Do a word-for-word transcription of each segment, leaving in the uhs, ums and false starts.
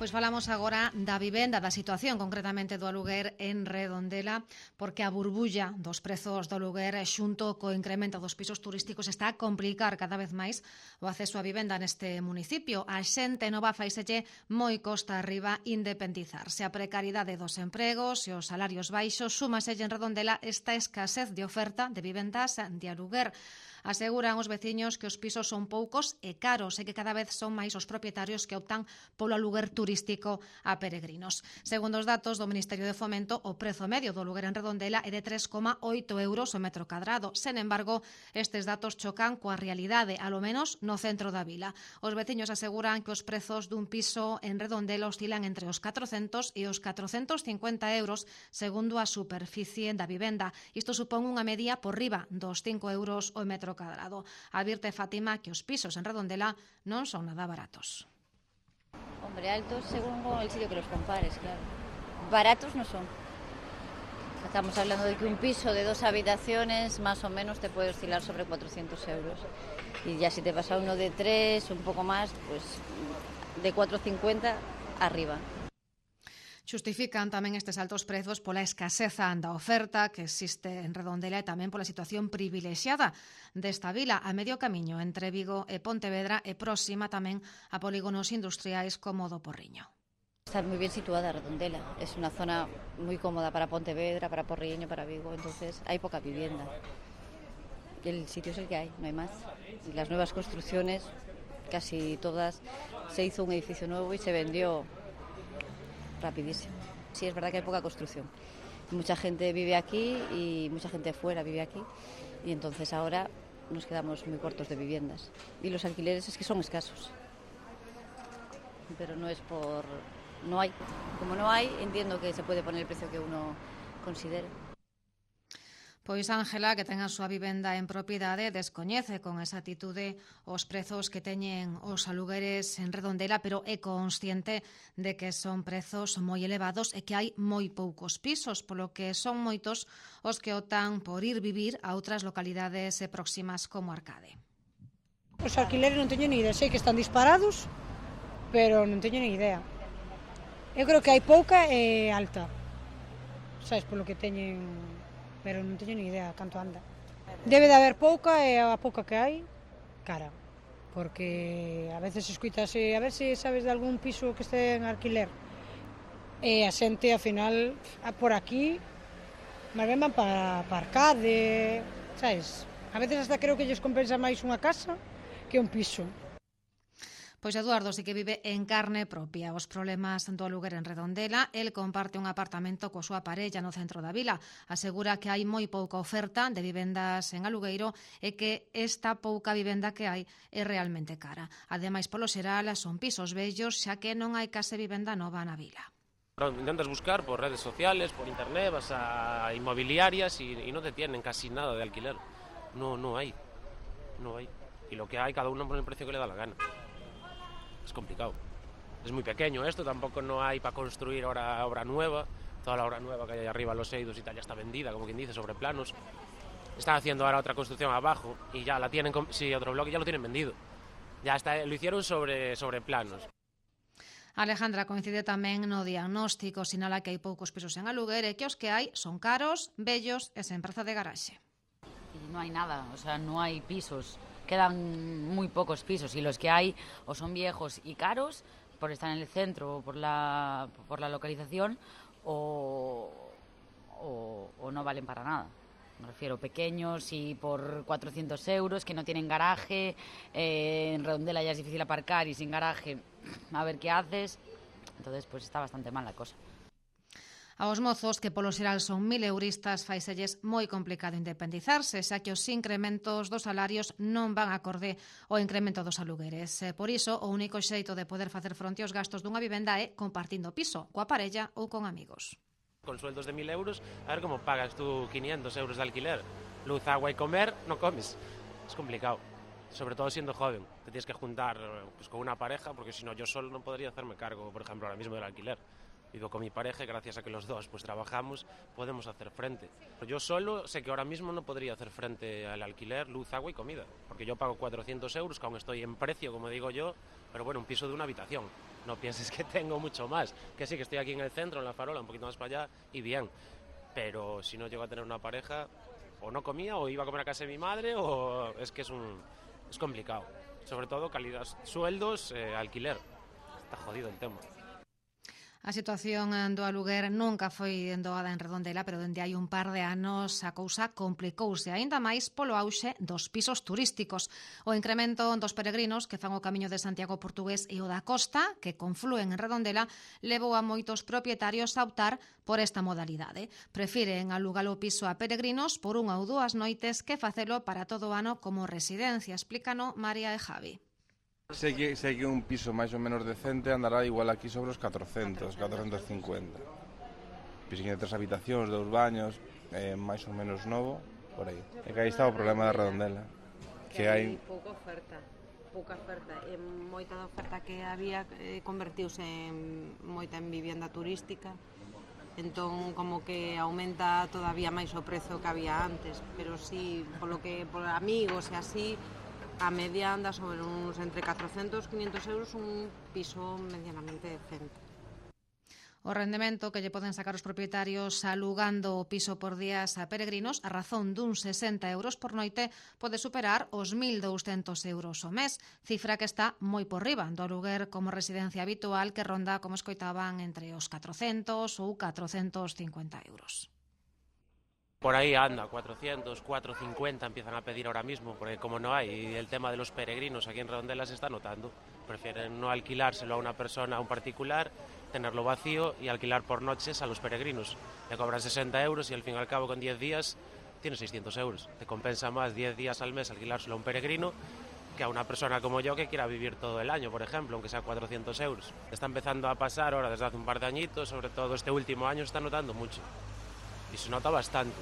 Pois falamos agora da vivenda, da situación concretamente do aluguer en Redondela, porque a burbulla dos prezos do aluguer xunto co incremento dos pisos turísticos está a complicar cada vez máis o acceso á vivenda neste municipio. A xente nova faiselle moi costa arriba independizarse. A precariedade dos empregos e os salarios baixos súmaselle en Redondela esta escasez de oferta de vivendas de aluguer. Aseguran os veciños que os pisos son poucos e caros e que cada vez son máis os propietarios que optan polo aluguer turístico a peregrinos. Segundo os datos do Ministerio de Fomento, o prezo medio do aluguer en Redondela é de tres coma oito euros o metro cadrado. Sen embargo, estes datos chocan coa realidade, alo menos no centro da vila. Os veciños aseguran que os prezos dun piso en Redondela oscilan entre os catrocentos e os catrocentos cincuenta euros segundo a superficie da vivenda. Isto supón unha media por riba dos cinco euros o metro cadrado. Advirte Fátima que os pisos en Redondela non son nada baratos. Hombre, altos según el sitio que los compares, claro. Baratos no son. Estamos hablando de que un piso de dos habitaciones más o menos te puede oscilar sobre cuatrocientos euros. Y ya si te vas a uno de tres, un poco más, pues de cuatrocientos cincuenta arriba. Xustifican tamén estes altos prezos pola escaseza da oferta que existe en Redondela e tamén pola situación privilexiada desta vila a medio camiño entre Vigo e Pontevedra e próxima tamén a polígonos industriais como o do Porriño. Está muy bien situada Redondela, es una zona muy cómoda para Pontevedra, para Porriño, para Vigo, entonces hay poca vivienda. El sitio es el que hay, no hay más. Y las nuevas construcciones, casi todas, se hizo un edificio nuevo y se vendió rapidísimo. Sí, es verdad que hay poca construcción. Mucha gente vive aquí y mucha gente fuera vive aquí y entonces ahora nos quedamos muy cortos de viviendas. Y los alquileres es que son escasos. Pero no es por... no hay. Como no hay, entiendo que se puede poner el precio que uno considere. Pois Ángela, que ten a súa vivenda en propiedade, descoñece con exactitude os prezos que teñen os alugueres en Redondela, pero é consciente de que son prezos moi elevados e que hai moi poucos pisos, polo que son moitos os que optan por ir vivir a outras localidades próximas como Arcade. Os alquileres non teño ni idea, sei que están disparados, pero non teño ni idea. Eu creo que hai pouca e alta, sabes, polo que teñen... pero non teño ni idea canto anda. Debe de haber pouca e a pouca que hai, cara. Porque a veces escuitase, a ver se sabes de algún piso que este en alquiler. E a xente, ao final, por aquí, máis ben van para, para Arcade, sabes? A veces hasta creo que lles compensa máis unha casa que un piso. Pois Eduardo sí que vive en carne propia os problemas do aluguer en Redondela. El comparte un apartamento coa súa parella no centro da vila. Asegura que hai moi pouca oferta de vivendas en alugueiro e que esta pouca vivenda que hai é realmente cara. Ademais, polo xeral, son pisos vellos, xa que non hai case vivenda nova na vila. Intentas buscar por redes sociales, por internet, vas a inmobiliarias y, y no te tienen casi nada de alquiler. No, no hay. No hay. Y lo que hay, cada uno pone el precio que le da la gana. Es complicado. Es muy pequeño esto, tampoco no hay para construir ahora obra nueva. Toda la obra nueva que hay arriba, los Eidos y tal, ya está vendida, como quien dice, sobre planos. Están haciendo ahora otra construcción abajo y ya la tienen, sí, otro bloque ya lo tienen vendido. Ya está, lo hicieron sobre, sobre planos. Alejandra coincide tamén no diagnóstico, sinala que hai poucos pisos en aluguer e que os que hai son caros, vellos e sen praza de garaxe. Y no hay nada, o sea, no hay pisos. Quedan muy pocos pisos y los que hay o son viejos y caros por estar en el centro o por la, por la localización o, o, o no valen para nada. Me refiero pequeños y por cuatrocientos euros que no tienen garaje, eh, en Redondela ya es difícil aparcar y sin garaje a ver qué haces, entonces pues está bastante mal la cosa. Aos mozos, que polo xeral son mil euristas, faiselles moi complicado independizarse, xa que os incrementos dos salarios non van acorde ao incremento dos alugueres. Por iso, o único xeito de poder facer fronte aos gastos dunha vivenda é compartindo piso, coa parella ou con amigos. Con sueldos de mil euros, a ver como pagas tú quinientos euros de alquiler. Luz, agua y comer, no comes. Es complicado, sobre todo siendo joven. Te tienes que juntar pues, con una pareja, porque si no yo solo no podría hacerme cargo, por ejemplo, ahora mismo del alquiler. Vivo con mi pareja y gracias a que los dos pues trabajamos podemos hacer frente. Yo solo sé que ahora mismo no podría hacer frente al alquiler, luz, agua y comida, porque yo pago cuatrocientos euros, que aún estoy en precio, como digo yo, pero bueno, un piso de una habitación. No pienses que tengo mucho más, que sí, que estoy aquí en el centro, en La Farola, un poquito más para allá y bien, pero si no llego a tener una pareja, o no comía, o iba a comer a casa de mi madre, o es que es, un, es complicado. Sobre todo calidad, sueldos, eh, alquiler. Está jodido el tema. A situación do aluguer nunca foi doada en Redondela, pero dende hai un par de anos a cousa complicouse aínda máis polo auxe dos pisos turísticos. O incremento dos peregrinos que fan o camiño de Santiago Portugués e o da Costa, que conflúen en Redondela, levou a moitos propietarios a optar por esta modalidade. Prefiren alugar o piso a peregrinos por unha ou dúas noites que facelo para todo o ano como residencia, explícano María e Javi. Sei que, sei que un piso máis ou menos decente andará igual aquí sobre os catrocentos, catrocentos cincuenta. Piso de tres habitacións, dous baños, eh, máis ou menos novo, por aí. E que aí está o problema da Redondela. Que, que hai pouca oferta, pouca oferta. E moita da oferta que había eh, convertiuse en moita en vivienda turística. Entón, como que aumenta todavía máis o prezo que había antes. Pero sí, polo que, por amigos e así, a media anda sobre uns entre catrocentos e quinhentos euros un piso medianamente decente. O rendemento que lle poden sacar os propietarios alugando o piso por días a peregrinos a razón dun sesenta euros por noite pode superar os mil douscentos euros ao mes, cifra que está moi por riba do aluguer como residencia habitual que ronda, como escoitaban, entre os catrocentos ou catrocentos cincuenta euros. Por ahí anda, cuatrocientos, cuatrocientos cincuenta empiezan a pedir ahora mismo, porque como no hay, y el tema de los peregrinos aquí en Redondela se está notando. Prefieren no alquilárselo a una persona, a un particular, tenerlo vacío y alquilar por noches a los peregrinos. Le cobran sesenta euros y al fin y al cabo con diez días tienes seiscientos euros. Te compensa más diez días al mes alquilárselo a un peregrino que a una persona como yo que quiera vivir todo el año, por ejemplo, aunque sea cuatrocientos euros. Está empezando a pasar ahora desde hace un par de añitos, sobre todo este último año se está notando mucho. Y se nota bastante.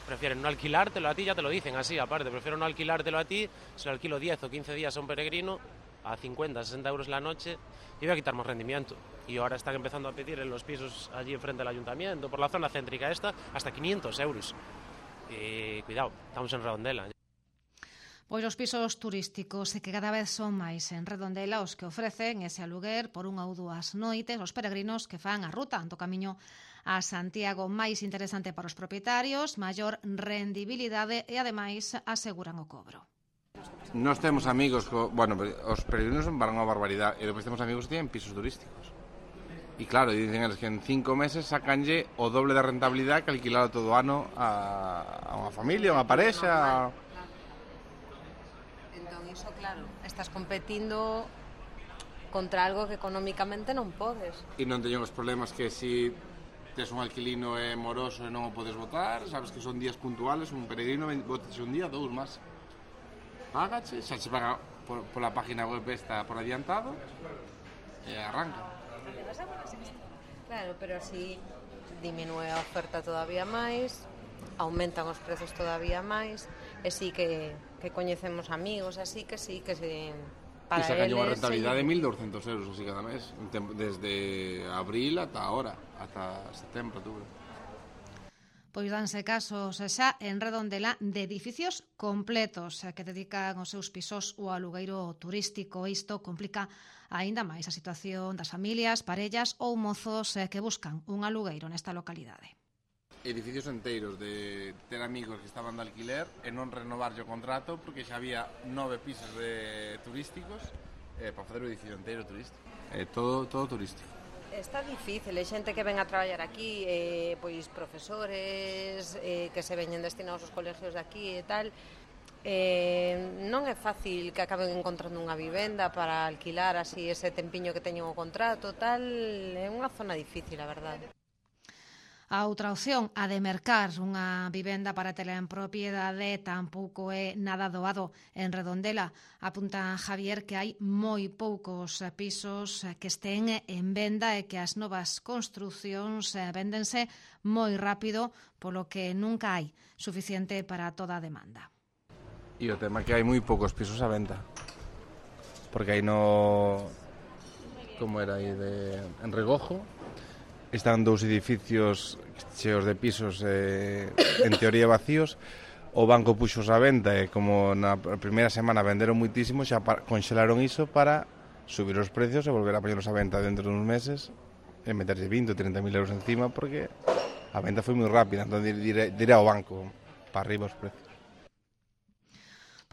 Prefieren no alquilártelo a ti, ya te lo dicen así, aparte, prefiero no alquilártelo a ti, se lo alquilo diez o quince días a un peregrino, a cincuenta, sesenta euros la noche, y voy a quitar más rendimiento. Y ahora están empezando a pedir en los pisos allí enfrente del ayuntamiento, por la zona céntrica esta, hasta quinientos euros. Y cuidado, estamos en Redondela. Pois os pisos turísticos que cada vez son máis en Redondela os que ofrecen ese aluguer por unha ou dúas noites aos peregrinos que fan a ruta do camiño a Santiago, máis interesante para os propietarios, maior rendibilidade e ademais aseguran o cobro. Nós temos amigos, co, bueno, os peregrinos van unha barbaridade e depois temos amigos que tienen pisos turísticos. E claro, dicen eles que en cinco meses sacanlle o doble da rentabilidade que alquilar todo o ano a, a unha familia, a unha parexa. Iso, claro, estás competindo contra algo que económicamente non podes. E non teñen os problemas que si tes un alquilino é moroso e non o podes votar, sabes que son días puntuales, un peregrino botes un día, dous máis. Págache, xa se paga por, pola página web esta por adiantado e arranca. Claro, pero así diminúe a oferta todavía máis, aumentan os prezos todavía máis, e sí que que coñecemos amigos, así que sí, que se... Para e sacan unha rentabilidade de mil douscentos euros así cada mes, desde abril ata ahora, ata setembro, outubro. Pois danse casos xa en Redondela de edificios completos que dedican os seus pisos ao alugueiro turístico. Isto complica aínda máis a situación das familias, parellas ou mozos que buscan un alugueiro nesta localidade. Edificios enteiros de ter amigos que estaban de alquiler e non renovar o contrato porque xa había nove pisos de turísticos eh, para fazer o edificio inteiro turístico. Eh, todo, todo turístico. Está difícil, hai xente que ven a traballar aquí, eh, pois profesores eh, que se veñen destinados aos colegios de aquí e tal. Eh, non é fácil que acaben encontrando unha vivenda para alquilar así ese tempiño que teñen o contrato, tal, é unha zona difícil, a verdade. A outra opción, a de mercar unha vivenda para tela en propiedade, tampouco é nada doado en Redondela. Apunta Javier que hai moi poucos pisos que estén en venda e que as novas construcións véndense moi rápido, polo que nunca hai suficiente para toda a demanda. E o tema é que hai moi poucos pisos a venta. Porque aí no... como era aí de... en Regojo, están dous edificios cheos de pisos eh, en teoría vacíos. O banco puxos a venda e como na primeira semana venderon muitísimo, xa conxelaron iso para subir os precios e volver a poñerlos a venta dentro de uns meses e meterse vinte ou trinta mil euros encima, porque a venta foi moi rápida, entón diré, diré ao banco para arriba os precios.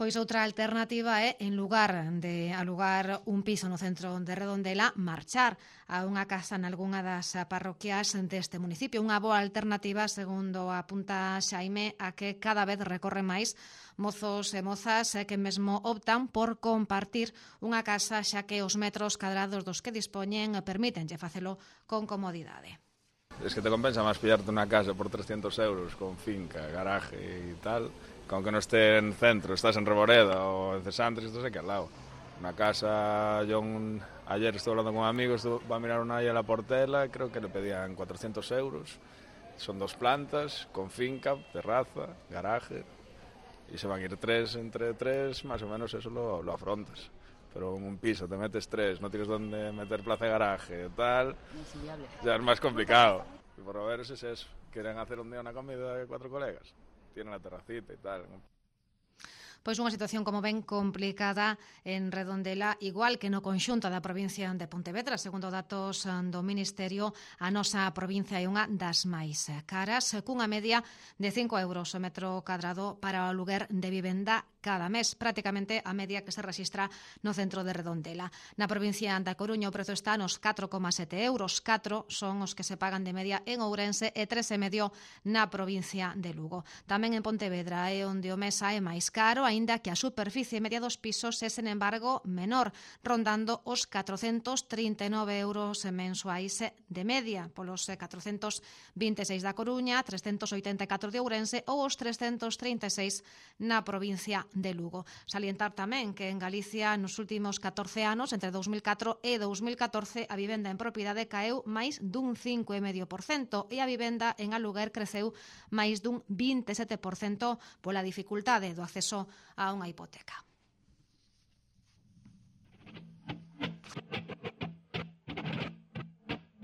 Pois outra alternativa é, en lugar de alugar un piso no centro de Redondela, marchar a unha casa nalgunha das parroquias deste municipio. Unha boa alternativa, segundo apunta Xaime, a que cada vez recorre máis mozos e mozas que mesmo optan por compartir unha casa, xa que os metros cadrados dos que dispoñen permítenlle facelo con comodidade. Es que te compensa máis pillarte unha casa por trescentos euros con finca, garaje e tal, con que no esté en centro, estás en Reboreda o en Cesantres, estás aquí al lado. Una casa, yo un, ayer estuve hablando con un amigo, estuve, va a mirar una ahí a la Portela, creo que le pedían cuatrocientos euros, son dos plantas, con finca, terraza, garaje, y se van a ir tres entre tres, más o menos eso lo, lo afrontas. Pero en un piso te metes tres, no tienes dónde meter plaza de garaje, tal, ya es más complicado. Y por lo menos es eso, quieren hacer un día una comida de cuatro colegas, tienen la terracita y tal. Pois unha situación, como ven, complicada en Redondela, igual que no conxunto da provincia de Pontevedra. Segundo datos do Ministerio, a nosa provincia é unha das máis caras, cunha media de cinco euros o metro cadrado para o aluguer de vivenda cada mes, prácticamente a media que se rexistra no centro de Redondela. Na provincia da Coruña o prezo está nos catro coma sete euros, catro son os que se pagan de media en Ourense e tres e medio na provincia de Lugo. Tamén en Pontevedra é onde o mes é máis caro, aínda que a superficie media dos pisos é, sen embargo, menor, rondando os catrocentos trinta e nove euros mensuais de media, polos catrocentos vinte e seis da Coruña, trescentos oitenta e catro de Ourense ou os trescentos trinta e seis na provincia de Lugo. Salientar tamén que en Galicia nos últimos catorce anos, entre dous mil catro e dous mil catorce, a vivenda en propiedade caeu máis dun cinco vírgula cinco por cento e a vivenda en aluguer creceu máis dun vinte e sete por cento pola dificultade do acceso a unha hipoteca.